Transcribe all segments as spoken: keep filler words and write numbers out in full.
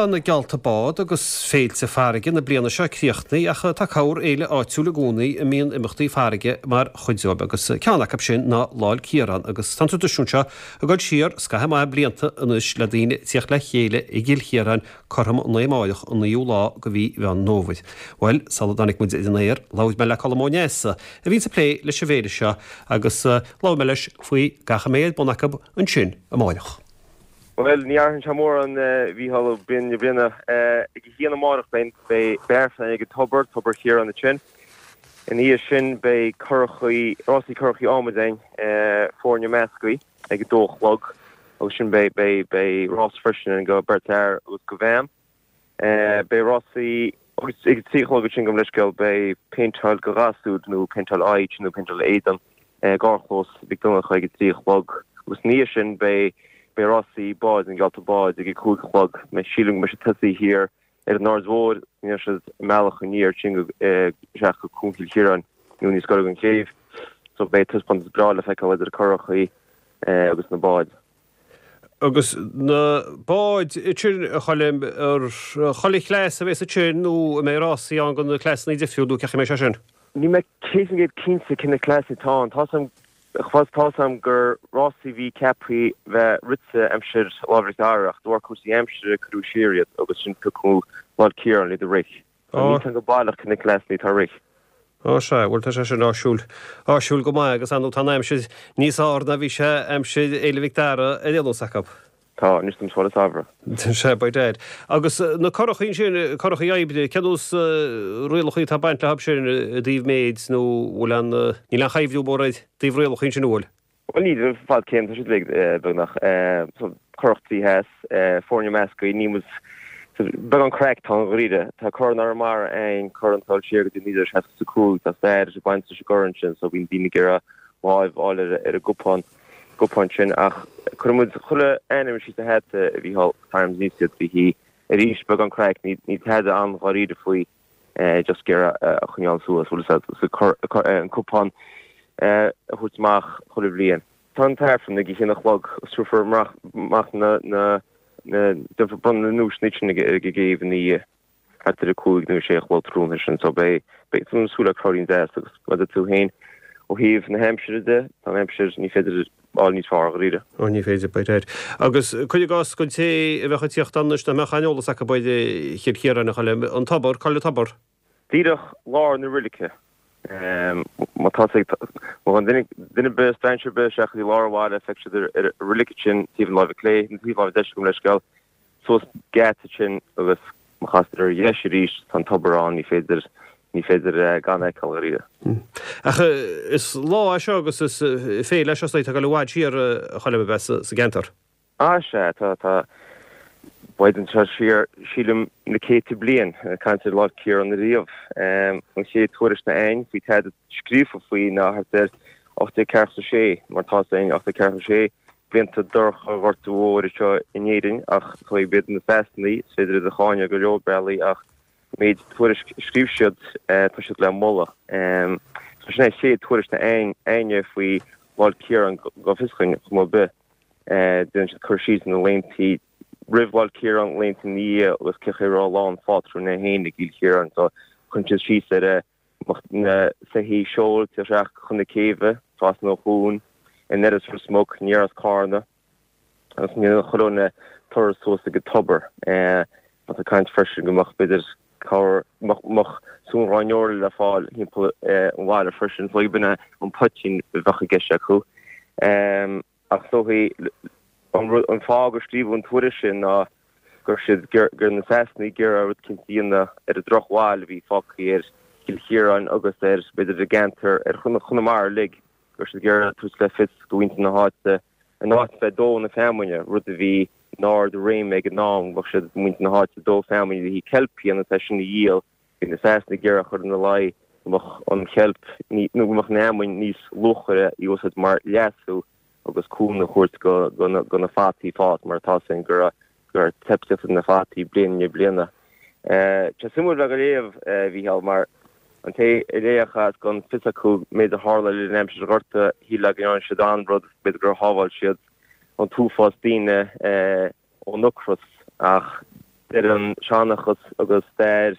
tá na geallta bád agus féilte farraige na bliana seo críochnaithe ach tá corrfhéile áitiúil i gcónaí a mbíonn imeachtaí farraige mar chuid dóibh agus ceann acu sin ná Lá 'le Ciarán agus tá an traidisiún seo ag dul siar scaitheamh maith blianta anois le daoine tíocht le chéile i gCill Chiaráin cothrom an lae amárach an naoú lá de mhí Mheán Fómhair. Bhuel, sula dtáinig muid ar an aer, labhair mé le Colm Ó Neasa a bhíonn ag plé leis an bhféile seo agus labhair mé leis faoi gach a mbeidh ar bun acu ansin amárach. Bhuel, ní athraíonn sé mórán, a Mhícheáil, ó bhliain go bliain. Ag a haon amárach beidh aifreann ag an tobar, Tobar Chiaráin ansin. Ina dhiaidh sin beidh curachaí, rásaí curachaí adhmaid againn, foirne measctha, ag a dó a chlog agus sin beidh, beidh, beidh rás freisin againn do beirt fhear agus do bhean. Beidh rásaí agus ag a trí a chlog ansin gabh mo leithscéal beidh péinteáil do ghasúir nó péinteáil aghaidh nó péinteáil éadan. Garchlós Mhic Donncha ag a trí a chlog agus ina dhiaidh sin beidh beidh rásaí báid na geallta báid ag a cúig a chlog. Sílim go mbeidh siad tosaithe thiar ar an Aird Mhóir, ndéanfaidh siad a mbealach aniar ansin go isteach go Cuan Chill Chiaráin nó níos gaire don chéibh. So beidh taispeántas breá le feiceáil idir curachaí agus na báid. Agus na báid sin, a Choilm, ar chuile chleas a bheas ansin nó an mbeidh rásaí ann do na cleasanna difriúil nó cén chaoi a mbeidh sé sin? Níl mé céad faoin gcéad cinnte cé na cleasanna atá ann. Tá 's a'm, tá 's a'm gur rásaí a bhí ceaptha bheith rite aimsir Lá Mhic Dara ach de bharr cúrsaí aimsire cuireadh siar iad agus sin piocadh Lá 'le Ciarán le iad a rith. So níl 's a'm go baileach cé na cleasanna atá ag rith. Ó sea, bhuel tá sé sin áisiúil, áisiúil go maith agus ar ndóigh tá an aimsir níos fearr ná bhí sé aimsir Fhéile Mhic Dara ar aon nós acu. Tá, anois táimid fáil samhradh. Sea, by dad. Agus na curachaí ansin, curachaí oibre, cén nós rialachaí atá ag baint leo sin i dtaobh méid nó bhfuil aon, níl aon chuibhriú mór i dtaobh rialachaí ansin, an bhfuil? Bhuel níl, fad céim, tá siad uilig beagnach. So, curach trí theas, foirne measctha, ní muid, so, beagán craic atá ann dháiríre. Tá Corn Arramara againn, corn atá ag dul siar go dtí naoi déag seasca is a cúig, tá stair ag baint leis an gcorn sin, so bíonn daoine ag iarraidh láimh a fháil ar an gcupán. gcupán sin ach cuireann muid chuile ainm síos sa hata, a Mhícheáil, tarraingíonn muid iad faoi thí arís beagán craic, níl tada an-dháiríre faoi just ag iarraidh a choinneáil suas, bhfuil a fhios agat, an cupán a thabhairt amach chuile bhliain. Tá an t-aifreann ag a haon a chlog agus tabharfar amach na, na, déanfar bronnadh na nduaiseanna sin ag an gcéibh ina dhiaidh. thart ar a cúig nó a sé a chlog tráthnóna sin so beidh beidh ag súil le crowdín deas agus mar a deir tú féin ó thaobh na haimsire de tá an aimsir ní féidir fháil níos fearr dháiríre. Ó ní féidir by dad. Agus cuir i gcás don té a bheadh ag tíocht ann anois nach mbeadh aon eolas acu ar Chill Chiaráin a Choilm, an tobar, cá bhfuil an tobar? Díreach lár na roilice. Má tá ag má thagann duine duine ar bith strainséir ar bith isteach go dtí lár an bhaile feicfidh siad ar ar an roilic sin taobh na láimhe clé nó taobh na láimhe deise gabh mo leithscéal suas geata ansin agus má chastar ar dheis arís tá an tobar ann, ní féidir, ní féidir gan é a fheiceáil dháiríre. Ach is lá é seo agus is féile é seo atá ag dul i bhfad siar a Choilm a bheith sa gceantar. Ah sea, tá, tá, beidh anseo siar, sílim, na céadta bliain, ag caint ar Lá 'le Ciarán ariamh. An chéad tuairisc atá againn faoi tada scríofa faoi ná thart ar ocht déag ceathracha a sé, mar tá 'fhios againn, ocht déag ceathracha a sé, blianta dorcha an Ghorta Mhóir anseo in Éirinn ach chuaigh b'iad na Sasanaigh, is féidir iad a cháineadh go leor bealaí ach an méid tuairisc a scríobh siad tá siad le moladh. So sin é an chéad tuairisc atá againne faoi Lá 'le Ciarán go bhfios dhúinn chuma ar bith. Déanann siad cur síos ar na laethanta roimh Lá 'le Ciarán, laethanta ina dhiaidh agus cé chaoi a raibh Lá an Phátrúin é féin i gCill Chiaráin. So cuireann siad síos ar na soithí seoil isteach chun na céibhe, trasna an chuain, anoir as Ros Muc, aniar as Carna, agus chuile dhuine turas suas ag an tobar. Tá caint freisin go mbeadh, b'fhéidir, cabhair, mbeadh sú an ghráinneora le fáil thimpeall an bhaile freisin, so b'in é an poitín a bheadh i gceist acu. Ach is dóichí an fáth gur scríobhadh an tuairisc sin ná go raibh siad, go raibh na Sasanaigh ag iarraidh rud eicínt a dhéanamh ar an drochbhail a bhí fágtha ar Chill Chiaráin agus ar, b'fhéidir, an gceantar, ar Chonamara uilig, go raibh siad ag iarraidh tabhairt le fios do mhuintir na háite, in áit bheith ag dó na feamainne, rud a bhí in ard a réime ag an am, bheadh siad, muintir na háite, ag dó feamainne le haghaidh ceilp a dhéanamh is é sin a dhíol, bhí na Sasanaigh ag iarraidh a chur ina luí go mbeadh an cheilp, nó go mbeadh an fheamainn níos luachmhaire í a úsáid mar leasú. agus cúnamh a thabhairt do na fataí fás mar tá 'fhios againn go raibh teip ag teacht ar na fataí bliain i ndiaidh bliana. Tá sé suimiúil bheith á léamh, a Mhícheál, mar an té a léifeadh é is gan fios acu méid a tharla le linn aimsir an Ghorta, shílfeá go ndearna siad an-rud, b'fhéidir gur shábháil siad an t-uafás daoine ón ocras ach Deir an seanchas agus stair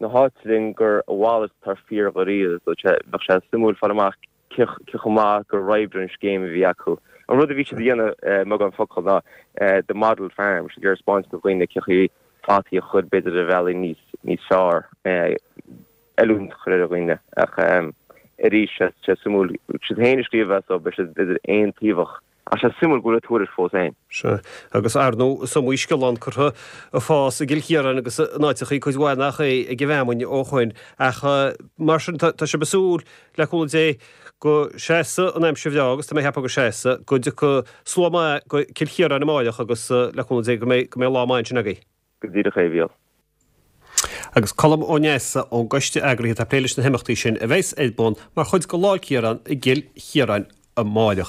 na háite linn gur a mhalairt atá fíor dháiríre. So bheadh sé suimiúil fáil amach cé chomh maith gur oibrigh an scéim a bhí acu. An rud a bhí siad a dhéanamh i mbeagán focal ná the model farm, bhí siad ag iarraidh 'spáint do dhaoine cé chaoi fataí a chur b'fhéidir ar bhealaí níos níos fearr, oiliúint a chur ar dhaoine. Ach arís, sé sé suimiúil, siad féin a scríobh é so beidh siad b'fhéidir aontaobhach. Ach sé suimiúil go bhfuil an tuairisc fós ann. Sea, agus ar ndóigh is iomaí sciolán curtha ag fás i gCill Chiaráin agus in áiteachaí cuid mhaith nach é ag an bhfeamainn ó shoin. Ach mar sin tá sibh ag súil, le cúnamh Dé, go seasfaidh an aimsir bhreá agus tá mé ag ceapadh go seasfaidh, go dtiocfaidh slua maith go Cill Chiaráin amáireach agus le cúnamh Dé go mbeidh go mbeidh lá maith ansin agaibh. Go díreach é, a Mhíchíl. Agus Colm Ó Neasa ón gcoiste eagraithe atá ag plé leis na himeachtaí sin a bheas ar bun mar chuid de Lá 'le Ciarán i gCill Chiaráin amáireach.